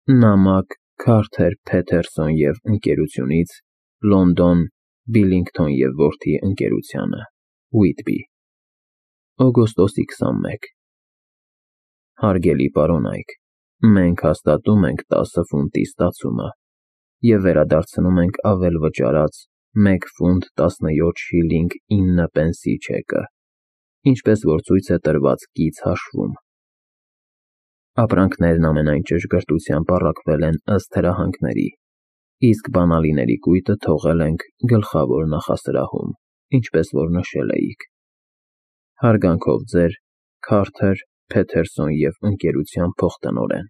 Նամակ Քարթեր Փեթերսոն և ընկերությունից Լոնդոն Բիլլինգթոն և որդի ընկերությանը Ուիթբի օգոստոսի 21 Հարգելի պարոնայք, մենք հաստատում ենք 10 ֆունտի ստացումը և վերադարձնում ենք ավել վճարած 1 ֆունտ 17 շիլինգ 9 պենսի չեկը, ինչպես որ ցույց է տրված կից հաշվում։ Ապրանքներն ամենայն ճշգրտությամբ առաքվել են ըստ հրահանգների, իսկ բանալիների կույտը թողել ենք գլխավոր նախասրահում, ինչպես որ նշել էիք։ Հարգանքով ձեր Քարթեր Փեթերսոն և ընկերության փոխտնօրեն։